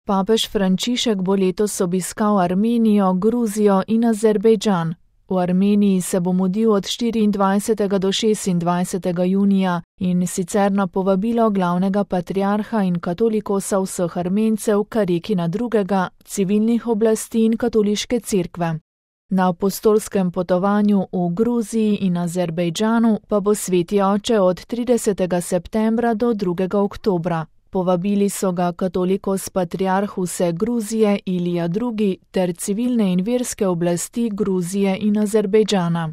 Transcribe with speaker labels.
Speaker 1: Papež Frančišek bo letos obiskal Armenijo, Gruzijo in Azerbejdžan. V Armeniji se bo mudil od 24. do 26. junija in sicer na povabilo glavnega patriarha in katolikosa vseh Armencev, Karikina II., civilnih oblasti in katoliške cerkve. Na apostolskem potovanju v Gruziji in Azerbejdžanu pa bo sveti oče od 30. septembra do 2. oktobra. Povabili so ga katolikos patriarh vse Gruzije Ilija II. Ter civilne in verske oblasti Gruzije in Azerbejdžana.